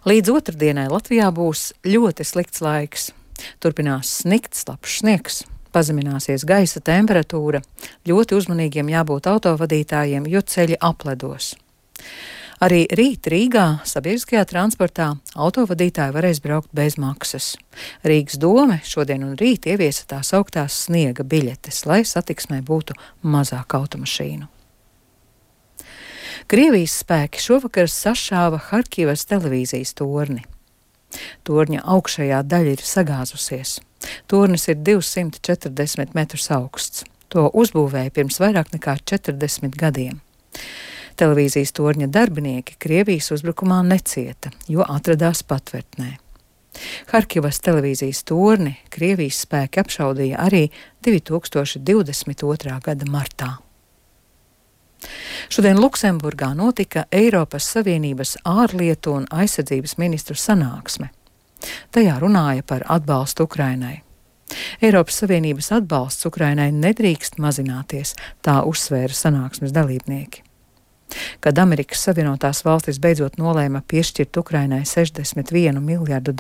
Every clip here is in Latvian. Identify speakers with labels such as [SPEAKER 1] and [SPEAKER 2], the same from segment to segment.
[SPEAKER 1] Līdz otrdienai Latvijā būs ļoti slikts laiks. Turpinās snikt, slapjš sniegs, pazemināsies gaisa temperatūra, ļoti uzmanīgiem jābūt autovadītājiem, jo ceļi apledos. Arī rīt Rīgā sabiedriskajā transportā autovadītāji varēs braukt bez maksas. Rīgas dome šodien un rīt ieviesa tās augtās sniega biļetes, lai satiksmē būtu mazāk automašīnu. Krievijas spēki šovakar sašāva Harkivas televīzijas torni. Torņa augšējā daļa ir sagāzusies. Tornis ir 240 metrus augsts. To uzbūvēja pirms vairāk nekā 40 gadiem. Televīzijas torņa darbinieki Krievijas uzbrukumā necieta, jo atradās patvērtnē. Harkivas televīzijas torni Krievijas spēki apšaudīja arī 2022. gada martā. Šodien Luksemburgā notika Eiropas Savienības ārlietu un aizsardzības ministru sanāksme. Tajā runāja par atbalstu Ukrainai. Eiropas Savienības atbalsts Ukrainai nedrīkst mazināties, tā uzsvēra sanāksmes dalībnieki. Kad Amerikas Savienotās valstis beidzot nolēma piešķirt Ukrainai $61 miljardu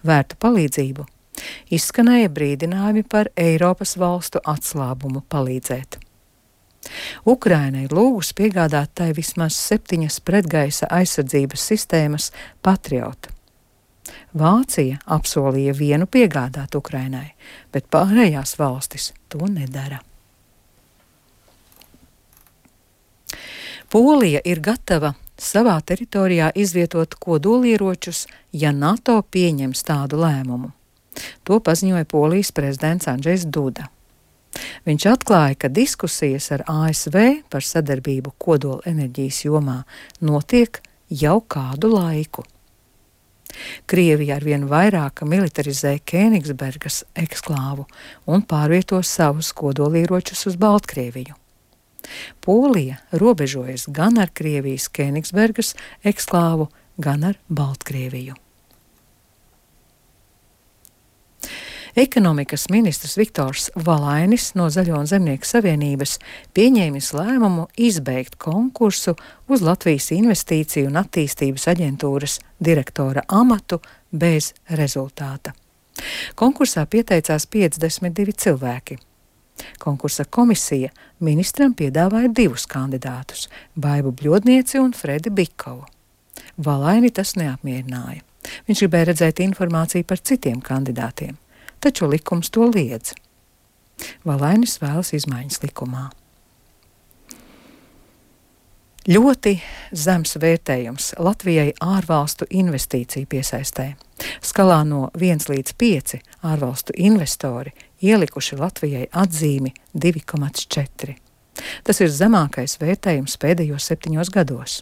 [SPEAKER 1] vērtu palīdzību, izskanēja brīdinājumi par Eiropas valstu atslābumu palīdzēt. Ukraina ir lūgusi piegādāt tai vismaz 7 pretgaisa aizsardzības sistēmas Patriot. Vācija apsolīja vienu piegādāt Ukrainai, bet pārējās valstis to nedara. Polija ir gatava savā teritorijā izvietot kodolieročus, ja NATO pieņems tādu lēmumu. To paziņoja Polijas prezidents Andžejs Duda. Viņš atklāja, ka diskusijas ar ASV par sadarbību kodola enerģijas jomā notiek jau kādu laiku. Krievija arvien vairāk militarizē Kēnigsbergas eksklāvu un pārvieto savus kodolieročus uz Baltkrieviju. Polija robežojas gan ar Krievijas Kēnigsbergas eksklāvu, gan ar Baltkrieviju. Ekonomikas ministrs Viktors Valainis no Zaļo un Zemnieku savienības pieņēmis lēmumu izbeigt konkursu uz Latvijas Investīciju un attīstības aģentūras direktora amatu bez rezultāta. Konkursā pieteicās 52 cilvēki. Konkursa komisija ministram piedāvāja 2 kandidātus – Baibu Bļodnieci un Fredi Bikovu. Valaini tas neapmierināja. Viņš gribēja redzēt informāciju par citiem kandidātiem. Taču likums to liedz. Valainis vēlas izmaiņas likumā. Ļoti zems vērtējums Latvijai ārvalstu investīciju piesaistē. Skalā no 1 līdz 5 ārvalstu investori ielikuši Latvijai atzīmi 2,4. Tas ir zemākais vērtējums pēdējos 7 gados.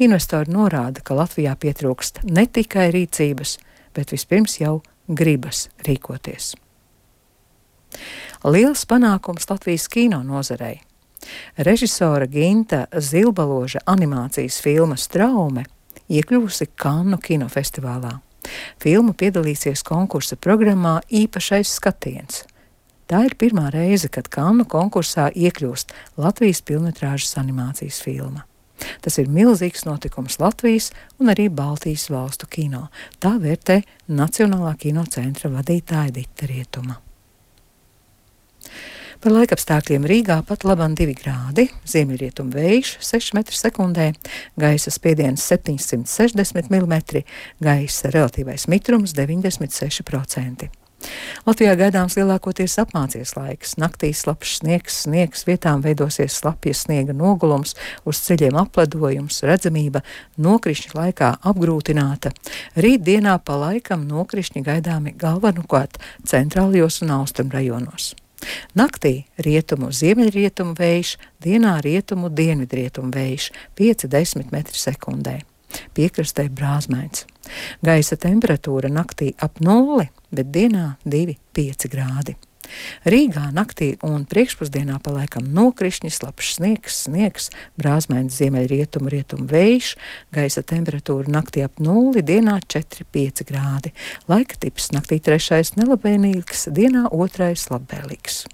[SPEAKER 1] Investori norāda, ka Latvijā pietrūkst ne tikai rīcības, bet vispirms jau gribas rīkoties. Liels panākums Latvijas kino nozarei. Režisora Ginta Zilbaloža animācijas filma Straume iekļuvusi Kannu kinofestivālā. Filma piedalīsies konkursa programmā Īpašais skatiens. Tā ir pirmā reize, kad Kannu konkursā iekļūst Latvijas pilnmetrāžas animācijas filma. Tas ir milzīgs notikums Latvijas un arī Baltijas valstu kino. Tā vērtē Nacionālā kino centra vadītāja Dita Rietuma. Par laikapstākļiem Rīgā pat laban 2 grādi, ziemeļrietumu vējš 6 metri sekundē, gaisa spiediens 760 mm, gaisa relatīvais mitrums 96%. Latvijā gaidāms lielākoties apmācies laiks. Naktī slapjš sniegs, vietām veidosies slapjas sniega nogulums, uz ceļiem apledojums, redzamība nokrišņa laikā apgrūtināta. Rīt dienā pa laikam nokrišņi gaidāmi galvenokārt centrālajos un austrumrajonos. Naktī rietumu ziemeļrietumu vējš, dienā rietumu dienvidrietumu vējš 5–10 metri sekundē. Piekrastē brāzmains. Gaisa temperatūra naktī ap 0, bet dienā 2–5 grādi. Rīgā naktī un priekšpusdienā pa laikam nokrišņi, slapjš sniegs, brāzmains ziemeļrietumu vējš, gaisa temperatūra naktī ap 0, dienā 4–5 grādi. Laika tips naktī 3. nelabvēlīgs, dienā 2. labvēlīgs.